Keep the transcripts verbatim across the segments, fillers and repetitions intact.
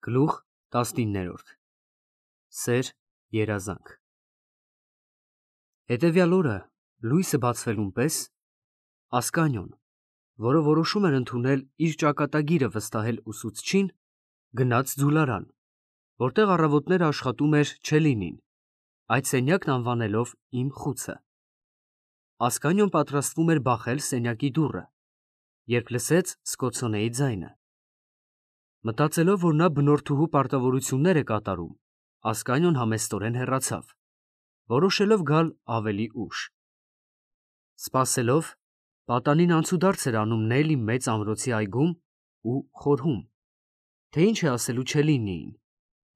Գլուխ տասնիններորդ Սեր երազանք Հետևյալ օրը լույսը բացվելուն պես Ասկանյոն, որը որոշում էր ընդունել իր ճակատագիրը վստահել ուսուցչին, գնաց ձուլարան, որտեղ առավոտները աշխատում էր Չելինին, այդ սենյակն անվանելով իմ խուցը։ Ասկանյոն պատրաստվում էր բախել սենյակի դուռը, երբ լսեց Սկոցոնեի ձայնը։ Մտածելով, որ նա բնորդուհու պարտավորություններ է կատարում, Ասկանյոն համեստորեն հեռացավ, որոշելով գալ ավելի ուշ։ Սպասելով, պատանին անցուդարձ էր անում Նելի մեծ ամրոցի այգում ու խորհում, թե ինչ է ասելու Չելինիին,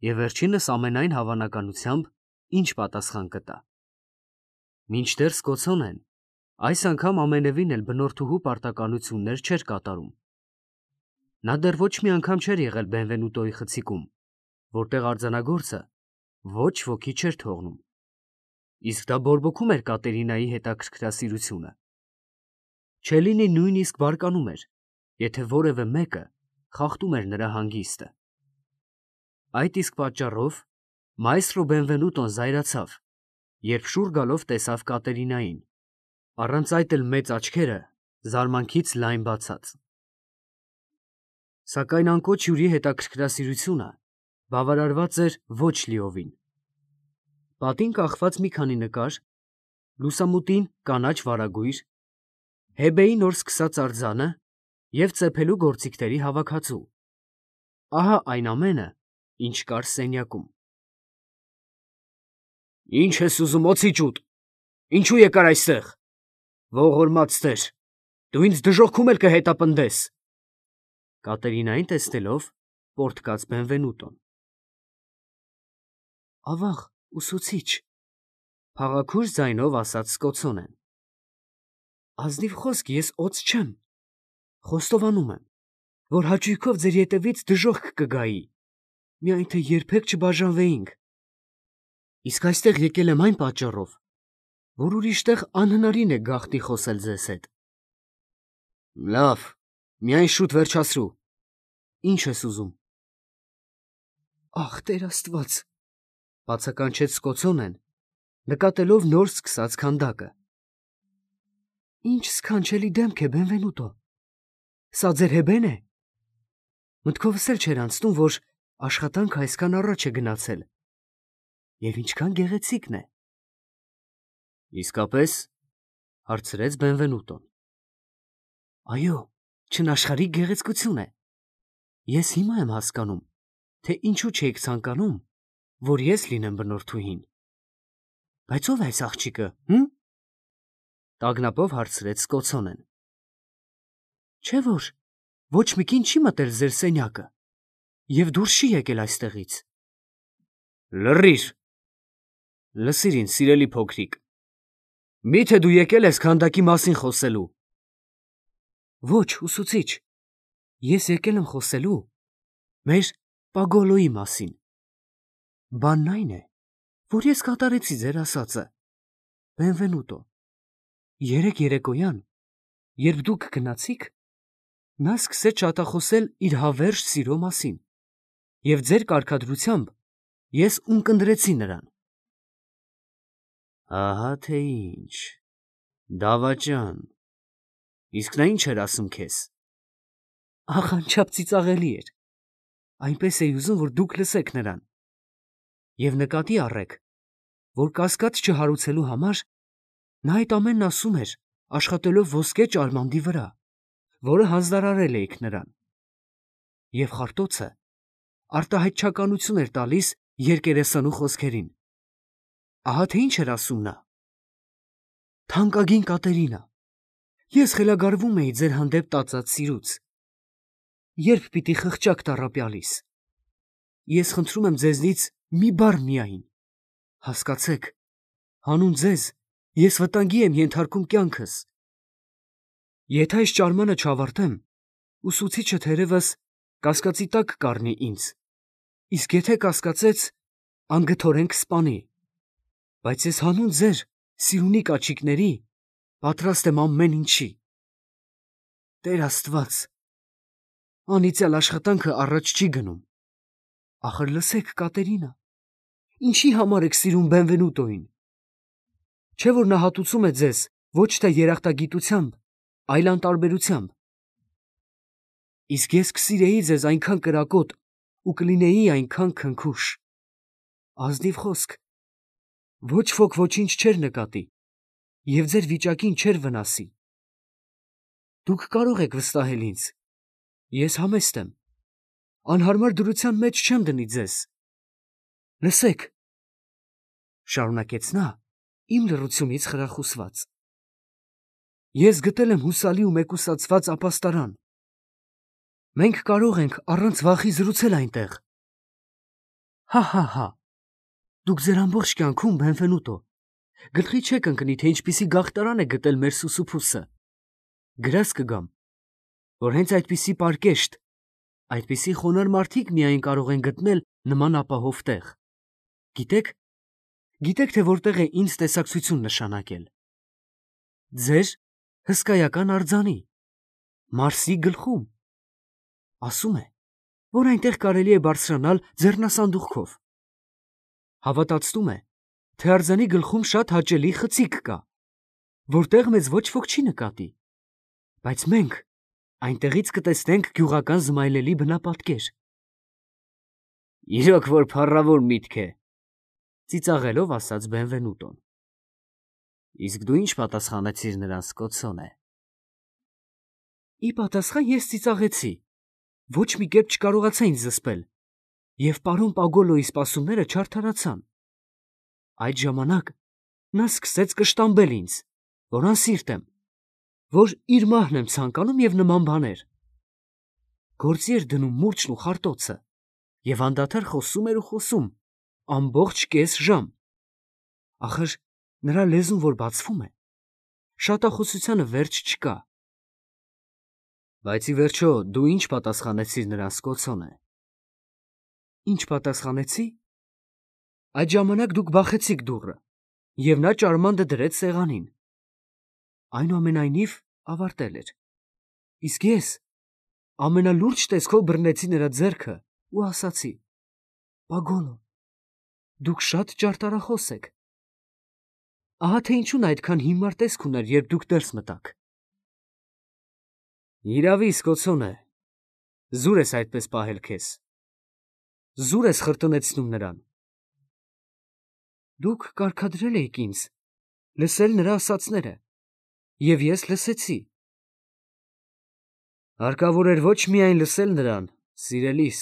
և վերջինս ամենայն հավանականությամբ ինչ պատասխան կտա։ Մինչդեռ Սկոցոնեն այս անգամ ամենևին էլ բնորդուհու պարտականություններ չէր կատարում։ Նա դեռ ոչ մի անգամ չէր եղել Բենվենուտոյի խցիկում, որտեղ արձանագործը ոչ ոքի չէր թողնում, իսկ դա բորբոքում էր Կատերինայի հետաքրքրասիրությունը։ Չելինին նույնիսկ բարկանում էր, եթե որևէ մեկը խախտում էր նրա հանգիստը։ Այդ իսկ պատճառով մայստրո Բենվենուտոն զայրացավ, երբ շուռ գալով տեսավ Կատերինային, առանց այդ էլ մեծ աչքերը զարմանքից լայն բացած։ Սակայն անկոչ հյուրի հետաքրքրասիրությունը բավարարված էր ոչ լիովին։ Պատին կախված մի քանի նկար, լուսամուտին կանաչ վարագույր, Հեբեի նոր սկսած արձանը և ծեփելու գործիքների հավաքածու։ Ահա այն ամենը, ինչ կար սենյակում։ Ի՞նչ ես ուզում, օձիճուտ, ինչու եկար այստեղ, ողորմած տեր, դու ինձ դժոխքում էլ կհետապնդես։ Կատերինային տեսնելով, պոռթկաց Բենվենուտոն։ Ավաղ, ուսուցիչ, փաղաքուր ձայնով ասաց Սկոցոնեն։ Ազնիվ խոսք ես օձ չեմ, խոստովանում եմ, որ հաճույքով ձեր ետևից դժոխք կգայի, միայն թե երբեք չբաժանվեինք։ Իսկ այստեղ եկել եմ այն պատճառով, որ ուրիշ տեղ անհնարին է գաղտնի խոսել ձեզ հետ։ Լավ, միայն շուտ վերջացրու, ինչ ես ուզում։ Ախ, Տեր Աստված, բացականչեց Սկոցոնեն, նկատելով նոր սկսած քանդակը։ Ինչ սքանչելի դեմք է, Բենվենուտո, սա ձեր Հեբեն է։ Մտքովս էլ չէր անցնում, որ աշխատանքը այսքան առաջ է գնացել, և ինչքան գեղեցիկն է։ Իսկապես, հարցրեց Բենվենուտոն։ Այո, չնաշխարհիկ գեղեցկություն է։ Ես հիմա եմ հասկանում, թե ինչու չէիք ցանկանում, որ ես լինեմ բնորդուհին։ Բայց ո՞վ է այս աղջիկը, հը՞մ։ Տագնապով հարցրեց Սկոցոնեն։ Չէ՞ որ ոչ մի կին չի մտել ձեր սենյակը և դուրս չի եկել այստեղից։ Լռի՛ր։ Լսիր ինձ, սիրելի փոքրիկ, մի՞թե դու եկել ես քանդակի մասին խոսելու։ Ոչ, ուսուցիչ, ես եկել եմ խոսելու մեր Պագոլոյի մասին։ Բանն այն է, որ ես կատարեցի ձեր ասածը, Բենվենուտո։ Երեկ երեկոյան, երբ դուք գնացիք, նա սկսեց շատախոսել իր հավերժ սիրո մասին, և ձեր կարգադրությամբ ես ունկնդրեցի նրան։ Ահա թե ինչ, դավաճան, իսկ նա ինչ էր ասում քեզ։ Ախ, անչափ ծիծաղելի էր, այնպես էի ուզում, որ դուք լսեք նրան։ Եվ նկատի առեք, որ կասկած չհարուցելու համար նա այդ ամենն ասում էր, աշխատելով ոսկե ճարմանդի վրա, որը հանձնարարել էիք նրան։ Եվ խարտոցը արտահայտչականություն էր տալիս երկերեսանու խոսքերին։ Ահա թե ինչ էր ասում նա. Թանկագին Կատերինա, ես խելագարվում էի ձեր հանդեպ տածած սիրուց։ Երբ պիտի խղճաք տառապյալիս։ Ես խնդրում եմ ձեզնից մի բառ միայն, հասկացեք, հանուն ձեզ ես վտանգի եմ ենթարկում կյանքս։ Եթե այս ճարմանը չավարտեմ, ուսուցիչը թերևս կասկածի տակ կառնի ինձ, իսկ եթե կասկածեց, անգթորեն կսպանի։ Բայց ես հանուն ձեր սիրունի կանչիկների պատրաստ եմ ամեն ինչի։ Տեր Աստված, անիծյալ աշխատանքը առաջ չի գնում։ Ախր լսեք, Կատերինա, ինչի համար եք սիրում Բենվենուտոին։ Չէ՞ որ նա հատուցում է ձեզ ոչ թե երախտագիտությամբ, այլ անտարբերությամբ։ Իսկ ես կսիրեի ձեզ այնքան կրակոտ ու կլինեի այնքան քնքուշ։ Ազնիվ խոսք, ոչ ոք ոչինչ չէր նկատի և ձեր վիճակին չէր վնասի։ Դուք կարող եք վստահել ինձ, ես համեստ եմ, անհարմար դրության մեջ չեմ դնի ձեզ։ Լսեք, շարունակեց նա, իմ լռությունից խրախուսված, ես գտել եմ հուսալի ու մեկուսացված ապաստարան։ Մենք կարող ենք առանց վախի զրուցել այնտեղ։ Հա հա հա, դուք ձեր ամբողջ կյանքում, Բենվենուտո, գլխի չեք ընկնի, թե ինչպիսի գաղթարան է գտել մեր Սուսուփուսը։ Գրազ կգամ, որ հենց այդպիսի պարկեշտ, այդպիսի խոնարհ մարդիկ միայն կարող են գտնել նման ապահով տեղ։ Գիտեք, գիտեք, թե որտեղ է ինձ տեսակցություն նշանակել։ Ձեր հսկայական արձանի, Մարսի գլխում։ Ասում է, որ այնտեղ կարելի է բարձրանալ ձեռնասանդուղքով։ Հավատացնում է, թե արձանի գլխում շատ հաճելի խցիկ կա, որտեղ մեզ ոչ ոք չի նկատի, բայց մենք այնտեղից կտեսնենք գյուղական զմայլելի բնապատկեր։ Իրոք որ փառավոր միտք է, ծիծաղելով ասաց Բենվենուտոն։ Իսկ դու ինչ պատասխանեցիր նրան, Սկոցոնե։ Ի պատասխան ես ծիծաղեցի, ոչ մի կերպ չկարողացա ինձ զսպել, և պարոն Պագոլոյի սպասումները չարդարացան։ Այդ ժամանակ նա սկսեց կշտամբել ինձ, որ անսիրտ եմ, որ իր մահն եմ ցանկանում և նման բաներ։ Գործի էր դնում մուրճն ու խարտոցը և անդադար խոսում էր ու խոսում, ամբողջ կես ժամ։ Ախր նրա լեզուն որ բացվում է, շատախոսությանը վերջ չկա։ Բայց ի վերջո դու ինչ պատասխանեցիր նրան, Սկոցոնե։ Ինչ պատասխանեցի։ Այդ ժամանակ դուք բախեցիք դուռը, և նա ճարմանդը դրեց սեղանին։ Այնուամենայնիվ ավարտել էր։ Իսկ ես ամենալուրջ տեսքով բռնեցի նրա ձեռքը ու ասացի. Պագոլո, դուք շատ ճարտարախոս եք։ Ահա թե ինչու նա այդքան հիմար տեսք ուներ, երբ դուք ներս մտաք։ Իրավի, Սկոցոնե, զուր ես այդպես պահել քեզ։ Զուր ես խրտնեցնում նրան։ Դուք կարգադրել էիք ինձ, լսել նրա ասածները, և ես լսեցի։ Հարկավոր էր ոչ միայն լսել նրան, սիրելիս,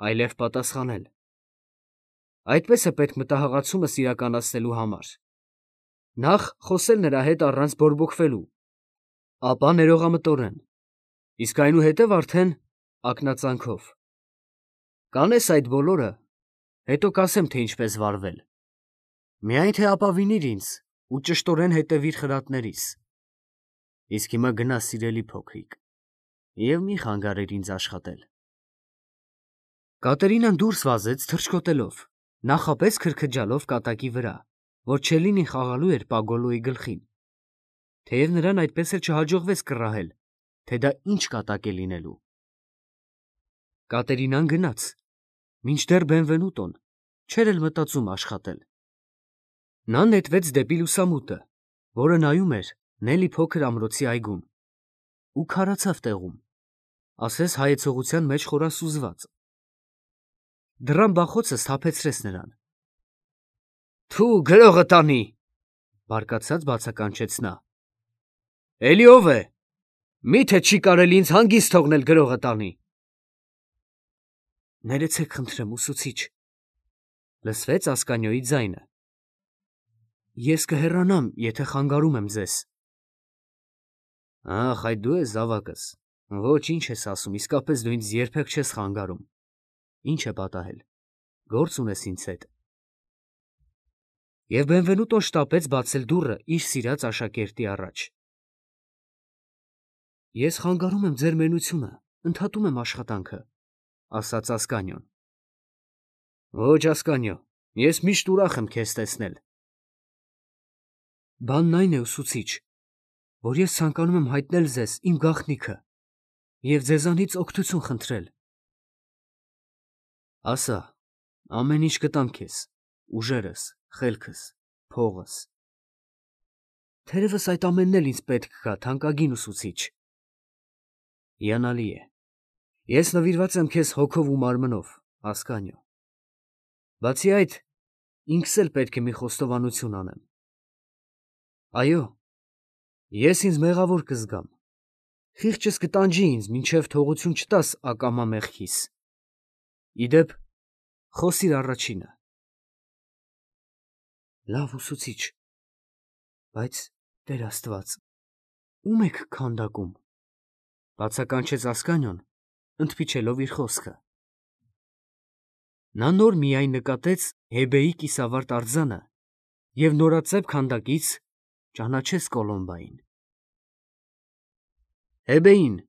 այլև պատասխանել։ Այդպես է պետք մտահղացումս իրականացնելու համար։ Նախ խոսել նրա հետ առանց բորբոքվելու, ապա ներողամտորեն, իսկ այնուհետև արդեն ակնածանքով։ Կանես այդ բոլորը, հետո կասեմ, թե ինչպես վարվել։ Միայն թե ապավինիր ինձ ու ճշտորեն հետևիր խրատներիս։ Իսկ հիմա գնա, սիրելի փոքրիկ, և մի խանգարիր ինձ աշխատել։ Կատերինան դուրս վազեց թռչկոտելով, նախապես քրքջալով կատակի վրա, որ Չելլինին խաղալու էր Պագոլոյի գլխին, թեև նրան այդպես էլ չհաջողվեց կռահել, թե դա ինչ կատակ է լինելու։ Կատերինան գնաց, մինչդեռ Բենվենուտոն չէր էլ մտածում աշխատել։ Նա նետվեց դեպի լուսամուտը, որը նայում էր Նելի փոքր ամրոցի այգուն, ու քարացավ տեղում, ասես հայեցողության մեջ խորասուզված։ Դռան բախոցը սթափեցրեց նրան։ Թու, գրողը տանի, բարկացած բացականչեց նա։ Էլի ով է, մի՞թե չի կարելի ինձ հանգիստ թողնել գրողը տանի։ Ներեցեք խնդրեմ, ուսուցիչ, լսվեց Ասկանյոյի ձայնը։ Ես կհեռանամ, եթե խանգարում եմ ձեզ։ Ախ, այդ դու ես զավակս, ոչ ինչ ես ասում, իսկապես դու ինձ երբեք չես խանգարում։ Ինչ է պատահել, գործ ունես ինձ հետ։ Եվ Բենվենուտոն շտապեց բացել դուռը իր սիրած աշակերտի առաջ։ Ես խանգարում եմ ձեր մենությունը, ընդհատում եմ աշխատանքը, ասաց Ասկանյոն։ Ոչ, Ասկանյո, ես միշտ ուրախ եմ քեզ տեսնել։ Բանն այն է, ուսուցիչ, որ ես ցանկանում եմ հայտնել ձեզ իմ գաղտնիքը և ձեզանից օգնություն խնդրել։ Ասա, ամեն ինչ կտամ քեզ, ուժերս, խելքս, փողս։ Թերևս այդ ամենն էլ ինձ պետք կա, թանկագին ուսուցիչ։ Հիանալի է։ Ես նվիրված եմ քեզ հոգով ու մարմնով, Ասկանյո։ Բացի այդ, ինքս էլ պետք է մի խոստովանություն անեմ։ Այո, ես ինձ մեղավոր կզգամ։ Խիղճս կտանջի ինձ, մինչև թողություն չտաս ակամա մեղքիս։ Իդեպ, խոսիր առաջինը։ Լավ ուսուցիչ, բայց Տեր Աստված, ում եք քանդակում, բացականչեց Ասկանյոն, ընդփիչելով իր խոսքը։ Նա նոր միայն նկատեց Հեբեի կիսավարտ արձանը և նորածեպ քանդակից ճանաչեց Կոլոմբային։ Հեբեին,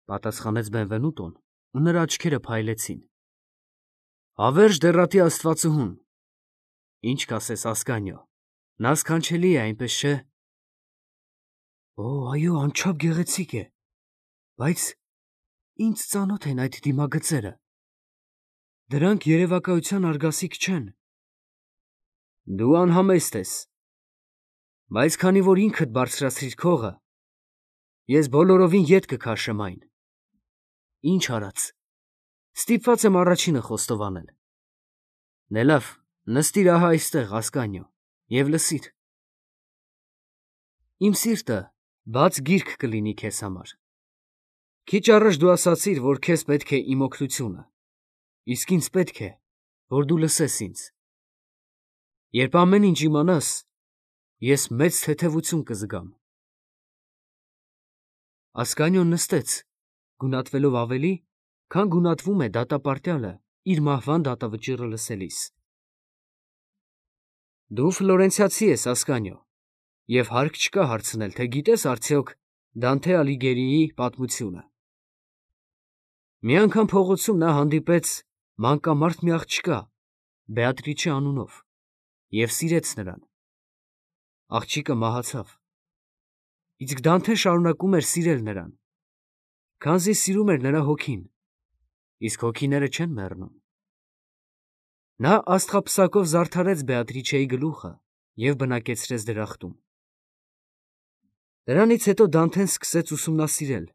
պատասխանեց Բենվենուտոն, ու նրա աչքերը փայլեցին։ Հավերժ դեռատի Աստվածուհուն, ինչ կասես Ասկանյո, նա սքանչելի է, այնպես չէ։ Օ, այո, անչափ գեղեցիկ է, բայց ինձ ծանոթ են այդ դիմագծերը։ Դրանք երևակայության արգասիկ չեն։ Դու անհամեստ ես, բայց քանի որ ինքդ բարձրացրիր քողը, ես բոլորովին ետ կքաշեմ այն։ Ինչ արած, ստիպված եմ առաջինը խոստովանել։ Դե լավ, նստիր ահա այստեղ, Ասկանյո, և լսիր։ Իմ սիրտը բաց գիրք կլինի քեզ համար։ Քիչ առաջ դու ասացիր, որ քեզ պետք է իմ օգնությունը, իսկ ինձ պետք է, որ դու լսես ինձ։ Երբ ամեն ինչ իմանաս, ես մեծ թեթևություն կզգամ։ Ասկանյոն նստեց, գունատվելով ավելի, քան գունատվում է դատապարտյալը իր մահվան դատավճիռը լսելիս։ Դու ֆլորենցիացի ես, Ասկանյո, և հարկ չկա հարցնել, թե գիտես արդյոք Դանթե Ալիգերիի պատմությունը։ Մի անգամ փողոցում նա հանդիպեց մանկամարդ մի աղջկա, Բեատրիչե անունով, և սիրեց նրան։ Աղջիկը մահացավ, իսկ Դանթեն շարունակում էր սիրել նրան, քանզի սիրում էր նրա հոգին, իսկ հոգիները չեն մեռնում։ Նա աստղափսակով զարդարեց Բեատրիչեի գլուխը և բնակեցրեց դրախտում։ Դրանից հետո Դանթեն սկսեց ուսումնասիրել,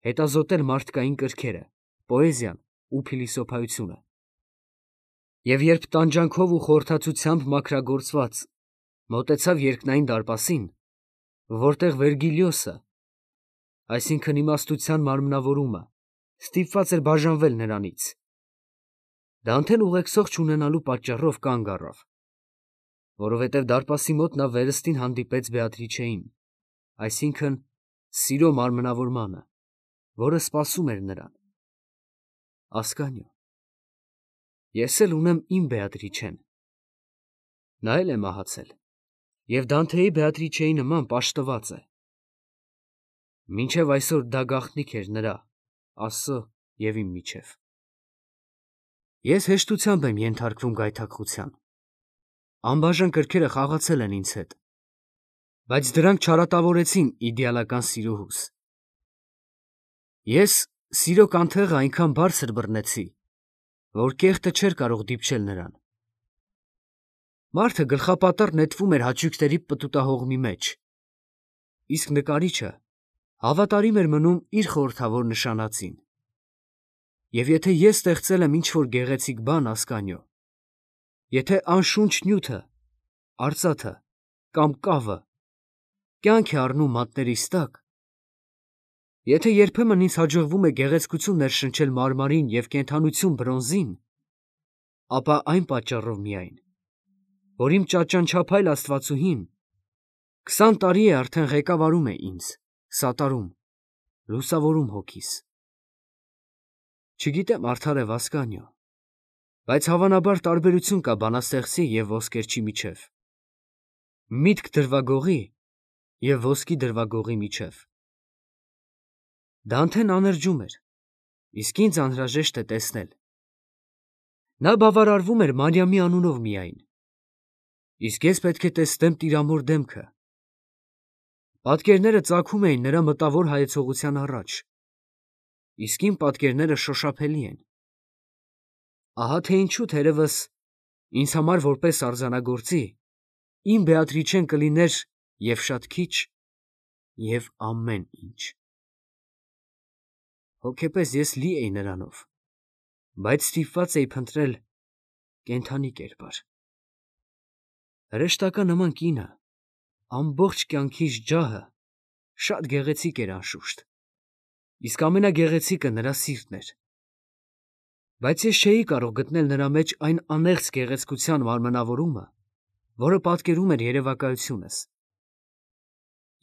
հետազոտել մարդկային կրքերը, պոեզիան ու փիլիսոփայությունը։ Եվ երբ տանջանքով ու խորհրդածությամբ մաքրագործված մոտեցավ երկնային դարպասին, որտեղ Վերգիլիոսը, այսինքն իմաստության մարմնավորումը, ստիպված էր բաժանվել նրանից, Դանթեն ուղեկցող չունենալու պատճառով կանգ առավ, որովհետև դարպասի մոտ նա վերստին հանդիպեց Բեատրիչեին, այսինքն սիրո մարմնավորմանը, որը սպասում էր նրան։ Ասկանյո, ես էլ ունեմ իմ Բեատրիչեն։ Նա էլ է մահացել, և Դանթեի Բեատրիչեի նման պաշտված է։ Մինչև այսօր դա գաղտնիք էր նրա, Աստծո և իմ միջև։ Ես հեշտությամբ եմ ենթարկվում գայթակղության։ Անբաժան կրքերը խաղացել են ինձ հետ, բայց դրանք չարատավորեցին իդեալական սիրուհուս։ Ես սիրո կանթեղը այնքան բարձր բռնեցի, որ կեղտը չէր կարող դիպչել նրան։ Մարդը գլխապատառ նետվում էր հաճույքների պտուտահողմի մեջ, իսկ նկարիչը հավատարիմ էր մնում իր խորհրդավոր նշանածին։ Եվ եթե ես ստեղծել եմ ինչ-որ գեղեցիկ բան, Ասկանյո, եթե անշունչ նյութը, արծաթը կամ կավը կյանք է առնում մատներիս տակ, եթե երբեմն ինձ հաջողվում է գեղեցկություն ներշնչել մարմարին և կենդանություն բրոնզին, ապա այն պատճառով միայն, որ իմ ճաճանչափայլ աստվածուհին քսան տարի է արդեն ղեկավարում է ինձ, սատարում, լուսավորում հոգիս։ Չգիտեմ արդարև, Ասկանյո, բայց հավանաբար տարբերություն կա բանաստեղծի և ոսկերչի միջև, միտք դրվագողի և ոսկի դրվագողի միջև։ Դանթեն աներջում էր, իսկ ինձ անհրաժեշտ է տեսնել։ Նա բավարարվում էր Մարիամի անունով միայն, իսկ ես պետք է տեսնեմ տիրամոր դեմքը։ Պատկերները ծագում էին նրա մտավոր հայեցողության առաջ, իսկ իմ պատկերները շոշափելի են։ Ահա թե ինչու թերևս ինձ համար որպես արձանագործի իմ Բեատրիչեն կլիներ և շատ քիչ, և ամեն ինչ։ Հոգեպես ես լի էի նրանով, բայց ստիպված էի փնտրել կենդանի կերպար։ Հրեշտակա նման կինը, ամբողջ կյանքիս ջահը, շատ գեղեցիկ էր անշուշտ, իսկ ամենագեղեցիկը նրա սիրտն էր, բայց ես չէի կարող գտնել նրա մեջ այն անեղծ գեղեցկության մարմնավորումը, որը պատկերում էր երևակայությունս։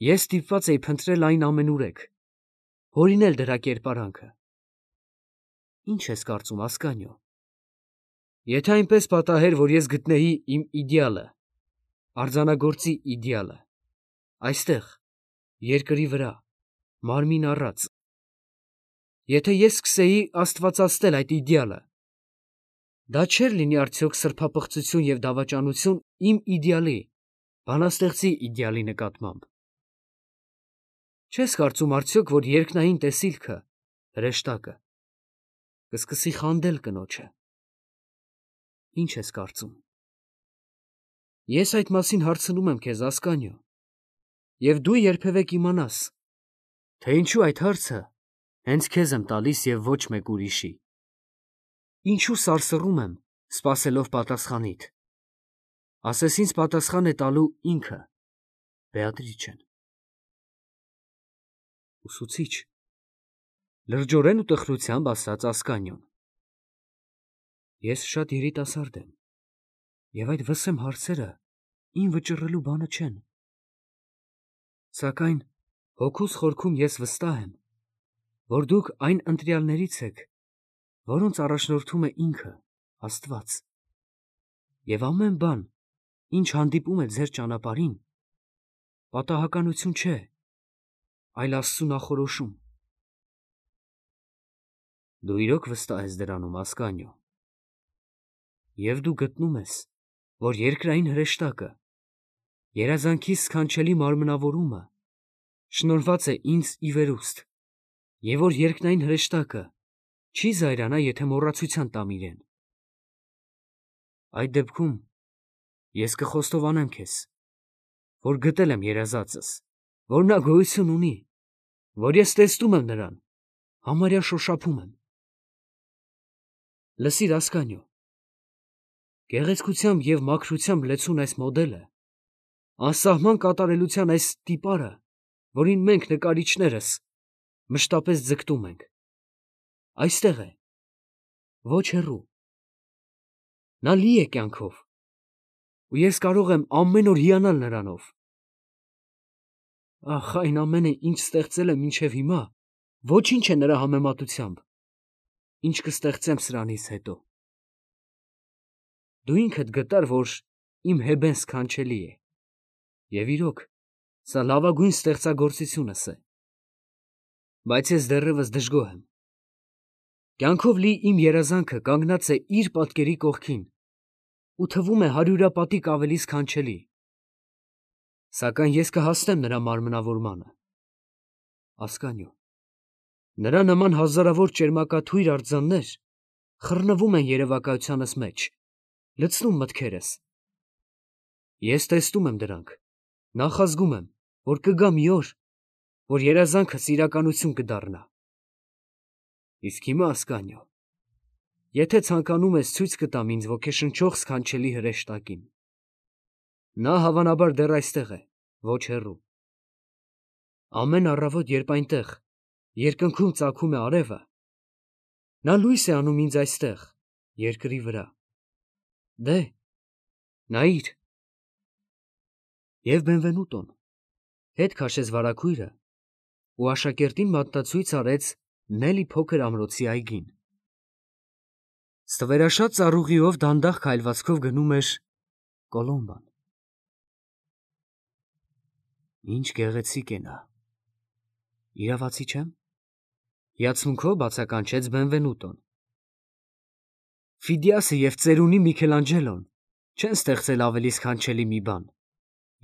Ես ստիպված էի փնտրել այն ամենուրեք, հորինել դրա կերպարանքը։ Ինչ ես կարծում, Ասկանիո, եթե այնպես պատահեր, որ ես գտնեի իմ իդեալը, արձանագործի իդեալը, այստեղ, երկրի վրա, մարմին առած, եթե ես սկսեի աստվածացնել այդ իդեալը, դա չէր լինի արդյոք սրբապղծություն և դավաճանություն իմ իդեալի, բանաստեղծի իդեալի նկատմամբ։ Չես կարծում արդյոք, որ երկնային տեսիլքը, հրեշտակը, կսկսի խանդել կնոջը։ Ինչ ես կարծում։ Ես այդ մասին հարցնում եմ քեզ, Ասկանիո, և դու երբևէ կիմանաս, թե ինչու այդ հարցը հենց քեզ եմ տալիս և ոչ մեկ ուրիշի։ Ինչու սարսռում եմ, սպասելով պատասխանիդ։ Ասես ինձ պատասխան է տալու ինքը, Բեատրիչեն։ Ուսուցիչ, լրջորեն ու տխրությամբ ասաց Ասկանիոն։ Ես շատ երիտասարդ եմ, և այդ վսեմ հարցերը իմ վճռելու բանը չեն։ Սակայն հոգուս խորքում ես վստահ եմ, որ դուք այն ընտրյալներից եք, որոնց առաջնորդում է ինքը, Աստված, և ամեն բան, ինչ հանդիպում է ձեր ճանապարհին, պատահականություն չէ, այլ Աստծու նախորոշում։ Դու իրոք վստահ ես դրանում, Ասկանիո, և դու գտնում ես, որ երկրային հրեշտակը, երազանքիս սքանչելի մարմնավորումը, շնորհված է ինձ ի վերուստ, և որ երկնային հրեշտակը չի զայրանա, եթե մոռացության տամ իրեն։ Այդ դեպքում ես կխոստովանեմ քեզ, որ գտել եմ երազածս, որ նա գոյություն ունի, որ ես տեսնում եմ նրան, համարյա շոշափում եմ։ Լսիր, Ասկանիո, գեղեցկությամբ և մաքրությամբ լեցուն այս մոդելը, անսահման կատարելության այս տիպարը, որին մենք նկարիչներս մշտապես ձգտում ենք, այստեղ է, ոչ հեռու։ Նա լի է կյանքով, ու ես կարող եմ ամեն օր հիանալ նրանով։ Ախ, այն ամենը, ինչ ստեղծել եմ մինչև հիմա, ոչինչ է նրա համեմատությամբ, ինչ կստեղծեմ սրանից հետո։ Դու ինքդ գտար, որ իմ Հեբեն սքանչելի է, և իրոք, սա լավագույն ստեղծագործությունս է, բայց ես դեռևս դժգոհ եմ։ Կյանքով լի իմ երազանքը կանգնած է իր պատկերի կողքին ու թվում է հարյուրապատիկ ավելի սքանչելի, սակայն ես կհասնեմ նրա մարմնավորմանը։ Ասկանիո, նրա նման հազարավոր ճերմակաթույր արձաններ խռնվում են երևակայությանս մեջ, լցնում մտքերս։ Ես տեսնում եմ դրանք, նախազգում եմ, որ կգա մի օր, որ երազանքս իրականություն կդառնա։ Իսկ հիմա, Ասկանիո, եթե ցանկանում ես, ցույց կտամ ինձ ոգեշնչող սքանչելի հրեշտակին։ Նա հավանաբար դեռ այստեղ է, ոչ հեռու։ Ամեն առավոտ, երբ այնտեղ, երկնքում ծագում է արևը, նա լույս է անում ինձ այստեղ, երկրի վրա։ Դե, նայիր։ Եվ Բենվենուտոն հետ քաշեց վարագույրը ու աշակերտին մատնացույց արեց Նելի փոքր ամրոցի այգին։ Ստվերաշատ ծառուղիով դանդաղ քայլվածքով գնում էր Կոլոմբան։ Ինչ գեղեցիկ է նա։ Իրավացի չեմ։ Հիացմունքով բացականչեց Բենվենուտոն։ Ֆիդիասը և ծերունի Միքելանջելոն չեն ստեղծել ավելի սքանչելի մի բան,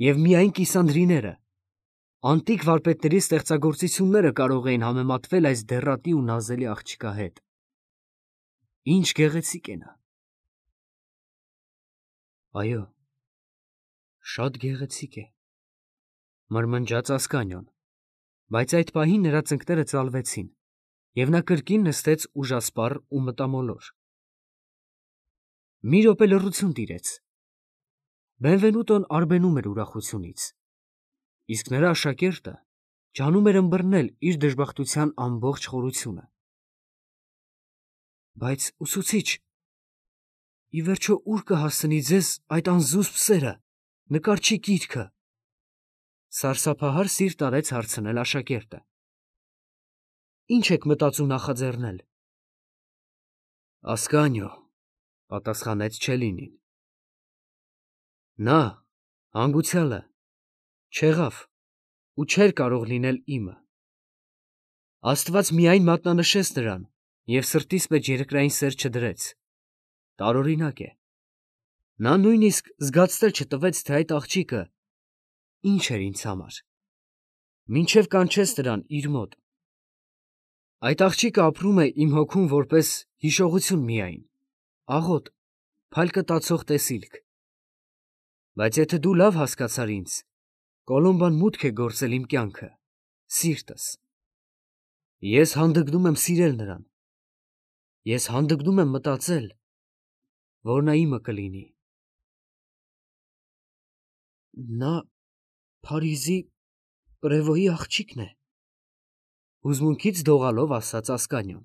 և միայն կիսանդրիները, անտիկ վարպետների ստեղծագործությունները կարող էին համեմատվել այս դեռատի ու նազելի աղջկա հետ։ Ինչ գեղեցիկ է նա։ Այո, շատ գեղեցիկ է, մրմնջաց Ասկանյոն, բայց այդ պահին նրա ծնկները ծալվեցին, և նա կրկին նստեց ուժասպառ ու մտամոլոր։ Մի րոպե լռություն տիրեց։ Բենվենուտոն արբենում էր ուրախությունից, իսկ նրա աշակերտը ջանում էր ըմբռնել իր դժբախտության ամբողջ խորությունը։ Բայց ուսուցիչ, ի վերջո ուր կհասցնի ձեզ այդ անզուսպ սերը, նկարչի կիրքը, սարսափահար սիրտ արեց հարցնել աշակերտը։ Ինչ եք մտածում նախաձեռնել։ Ասկանյո, պատասխանեց Չելինին։ Նա հանգուցյալը չեղավ ու չէր կարող լինել իմը։ Աստված միայն մատնանշեց նրան և սրտիս մեջ երկրային սեր չդրեց։ Տարօրինակ է։ Նա նույնիսկ զգացնել չտվեց, թե այդ աղջիկը ինչ էր ինձ համար, մինչև կանչեց նրան իր մոտ։ Այդ աղջիկը ապրում է իմ հոգում որպես հիշողություն միայն, աղոտ, փալկտացող տեսիլք։ Բայց եթե դու լավ հասկացար ինձ, Կոլոմբան մուտք է գործել իմ կյանքը, սիրտս։ Ես հանդգնում եմ սիրել նրան։ Ես հանդգնում եմ մտածել, որ նա իմը կլինի։ Նա Փարիզի Պրևոյի աղջիկն է, հուզմունքից դողալով ասաց Ասկանյոն։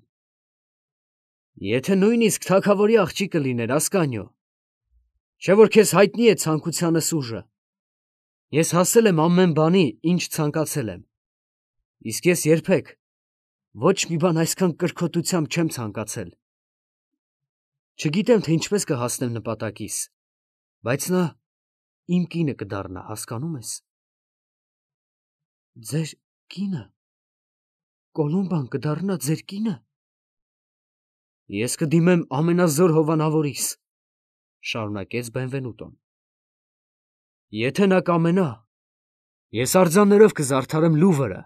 Եթե նույնիսկ թագավորի աղջիկը լիներ, Ասկանյո, չէ՞ որ քեզ հայտնի է ցանկությանս ուժը։ Ես հասել եմ ամեն բանի, ինչ ցանկացել եմ, իսկ ես երբեք ոչ մի բան այսքան կրքոտությամբ չեմ ցանկացել։ Չգիտեմ, թե ինչպես կհասնեմ նպատակիս, բայց նա իմ կինը կդառնա, հասկանում ես։ Ձեր կինը։ Կոլոմբան կդառնա ձեր կինը։ Ես կդիմեմ ամենազոր հովանավորիս, շարունակեց Բենվենուտոն։ Եթե նա կամենա, ես արձաններով կզարդարեմ Լուվրը,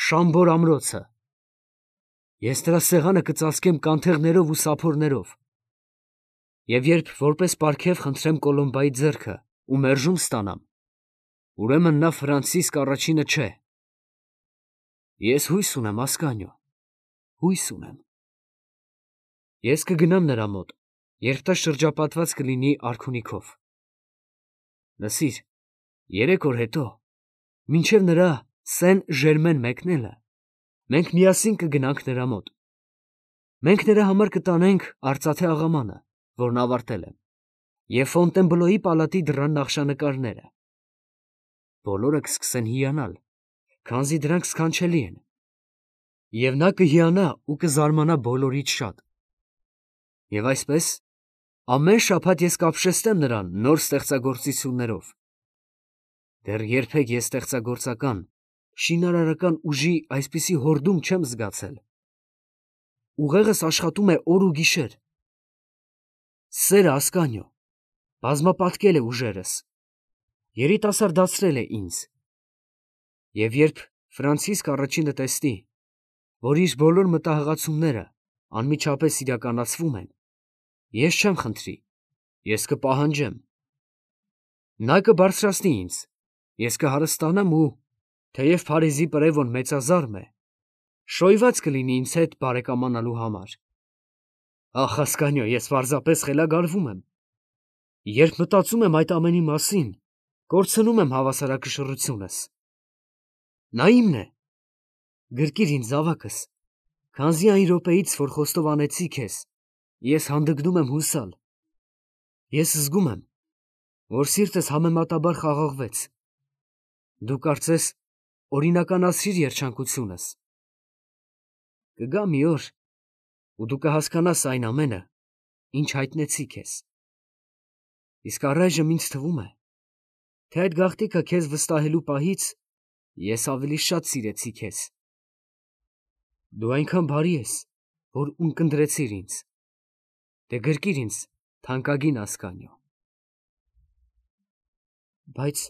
Շամբոր ամրոցը։ Ես նրա սեղանը կծածկեմ կանթեղներով ու սափորներով։ Եվ երբ որպես պարգև խնդրեմ Կոլոմբայի ձեռքը ու մերժում ստանամ, ուրեմն նա Ֆրանցիսկ առաջինը չէ։ Ես հույս ունեմ, Ասկանյո, հույս ունեմ։ Ես կգնամ նրա մոտ, երբ դա շրջապատված կլինի արքունիքով։ Լսիր, երեք օր հետո, մինչև նրա Սեն Ժերմեն մեկնելը, մենք միասին կգնանք նրա մոտ։ Մենք նրա համար կտանենք արծաթե աղամանը, որն ավարտել եմ, և Ֆոնտենբլոյի պալատի դռան նախշանկարները։ Բոլորը կսկսեն հիանալ, քանզի դրանք սքանչելի են, և նա կհիանա ու կզարմանա բոլորից շատ։ Եվ այսպես, ամեն շաբաթ ես կապշեցնեմ նրան նոր ստեղծագործություններով։ Դեռ երբեք ես ստեղծագործական, շինարարական ուժի այսպիսի հորդում չեմ զգացել։ Ուղեղս աշխատում է օր ու գիշեր։ Սերը, Ասկանյո, բազմապատկել է ուժերս, երիտասարդացրել է ինձ։ Եվ երբ Ֆրանցիսկ առաջինը տեսնի, որ իր բոլոր մտահղացումները անմիջապես իրականացվում են, ես չեմ խնդրի, ես կպահանջեմ։ Նա կբարձրացնի ինձ, ես կհարստանամ ու, թեև Փարիզի Պրևոն մեծազարմ է, շոյված կլինի ինձ հետ բարեկամանալու համար։ Ախ, Ասկանյո, ես պարզապես խելագարվում եմ։ Երբ մտածում եմ այդ ամենի մասին, կորցնում եմ հավասարակշռությունս։ Նա իմն է։ Գրկիր ինձ զավակս, քանզի այն րոպեից, որ խոստովանեցի քեզ, ես հանդգնում եմ հուսալ։ Ես զգում եմ, որ սիրտս համեմատաբար խաղաղվեց։ Դու կարծես օրինականացրիր երջանկությունս։ Կգա մի օր, ու դու կհասկանաս այն ամենը, ինչ հայտնեցի քեզ։ Իսկ առայժմ ինձ թվում է, թե այդ գաղտնիքը քեզ վստահելու պահից ես ավելի շատ սիրեցի քեզ։ Դու այնքան բարի ես, որ ունկնդրեցիր ինձ։ Դե գրկիր ինձ թանկագին Ասկանյո։ Բայց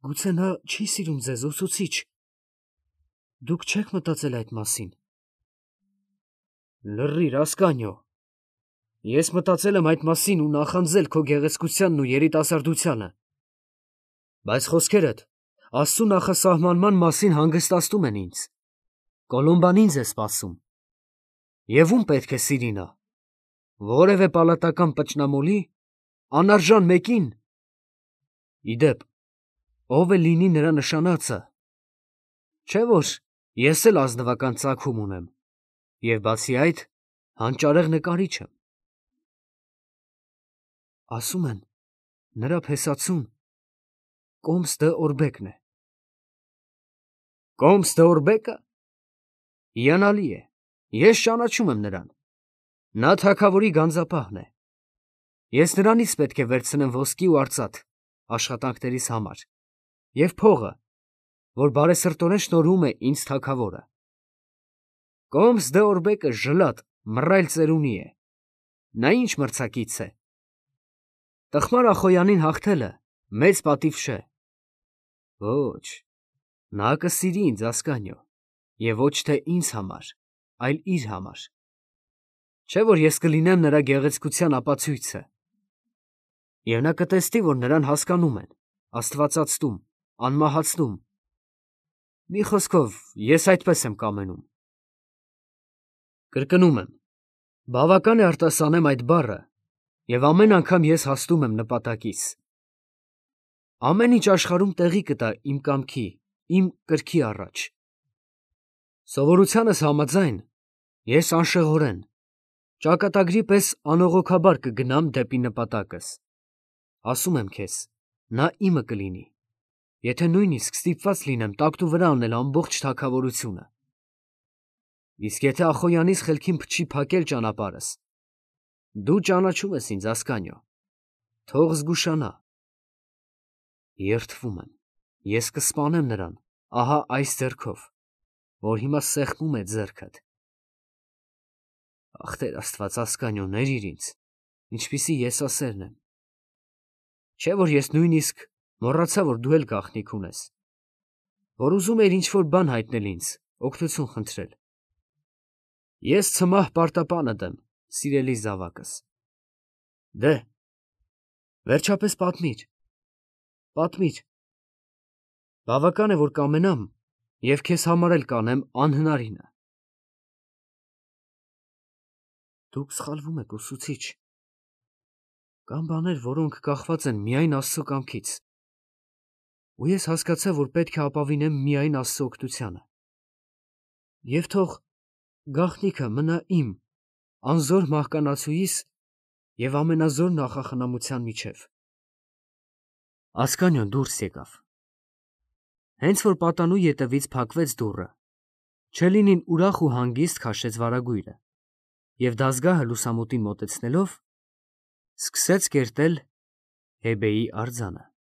գուցե նա չի սիրում ձեզ, ուսուցիչ։ Դուք չեք մտածել այդ մասին։ Լռիր, Ասկանյո, Ես մտածել եմ այդ մասին ու նախանձել քո գեղեցկությանն ու երիտասարդությանը, բայց խոսքերդ Աստծու նախասահմանման մասին հանգստացնում են ինձ։ Կոլումբան ինձ է սպասում։ Եվ ում պետք է սիրի նա։ Որևէ պալատական պճնամոլի, անարժան մեկին։ Իդեպ, ով է լինի նրա նշանածը։ Չէ՞ որ ես էլ ազնվական ծագում ունեմ, և բացի այդ, հանճարեղ նկարիչ եմ։ Ասում են, նրա փեսացուն Կոմս դը Օրբեկն է։ Կոմս դը Օրբեկը։ Հիանալի է, ես ճանաչում եմ նրան։ Նա թագավորի գանձապահն է։ Ես նրանից պետք է վերցնեմ ոսկի ու արծաթ աշխատանքներիս համար և փողը, որ բարեսրտորեն շնորհում է ինձ թագավորը։ Կոմս դը Օրբեկը ժլատ, մռայլ ծերունի է։ Նա ինչ մրցակից է։ Տխմար Ախոյանին հաղթելը մեծ պատիվ չէ։ Ոչ, նա կսիրի ինձ, Ասկանիո, և ոչ թե ինձ համար, այլ իր համար։ Չէ՞ որ ես կլինեմ նրա գեղեցկության ապացույցը։ Եվ նա կտեսնի, որ նրան հասկանում են, աստվածացնում, անմահացնում։ Մի խոսքով, ես այդպես եմ կամենում։ Կրկնում եմ, բավական է արտասանեմ այդ բառը, և ամեն անգամ ես հասնում եմ նպատակիս։ Ամեն ինչ աշխարհում տեղի կտա իմ կամքի, իմ կրքի առաջ։ Սովորությանս համաձայն, ես անշեղորեն, ճակատագրի պես անողոքաբար կգնամ դեպի նպատակս։ Ասում եմ քեզ, նա իմը կլինի, եթե նույնիսկ ստիպված լինեմ տակտու վրա անել ամբողջ թագավորությունը։ Իսկ եթե Ախոյանից խելքին փչի փակել ճանապարհս, դու ճանաչում ես ինձ, Ասկանիո, թող զգուշանա։ Երդվում եմ, ես կսպանեմ նրան, ահա այս ձեռքով, որ հիմա սեղմում է ձեռքդ։ Ախ, Տեր Աստված, Ասկանիո, ներիր ինձ, ինչպիսի եսասերն եմ։ Չէ՞ որ ես նույնիսկ մոռացա, որ դու էլ գաղտնիք ունես, որ ուզում էիր ինչ-որ բան հայտնել ինձ, օգնություն խնդրել։ Ես ցմահ պարտապանդ եմ, սիրելի զավակս։ Դե, վերջապես պատմիր, պատմիր։ Բավական է, որ կամենամ, և քեզ համար էլ կանեմ անհնարինը։ Դուք սխալվում եք, ուսուցիչ։ Կան բաներ, որոնք կախված են միայն Աստծո կամքից։ Ու ես հասկացա, որ պետք է ապավինեմ միայն Աստծո օգնությանը։ Եվ թող գաղտնիքը մնա իմ, անզոր մահկանացուիս և ամենազոր նախախնամության միջև։ Ասկանիոն դուրս եկավ։ Հենց որ պատանու ետևից փակվեց դուռը, Չելինին ուրախ ու հանգիստ քաշեց վարագույրը և դազգահը լուսամուտին մոտեցնելով, սկսեց կերտել Հեբեի արձանը։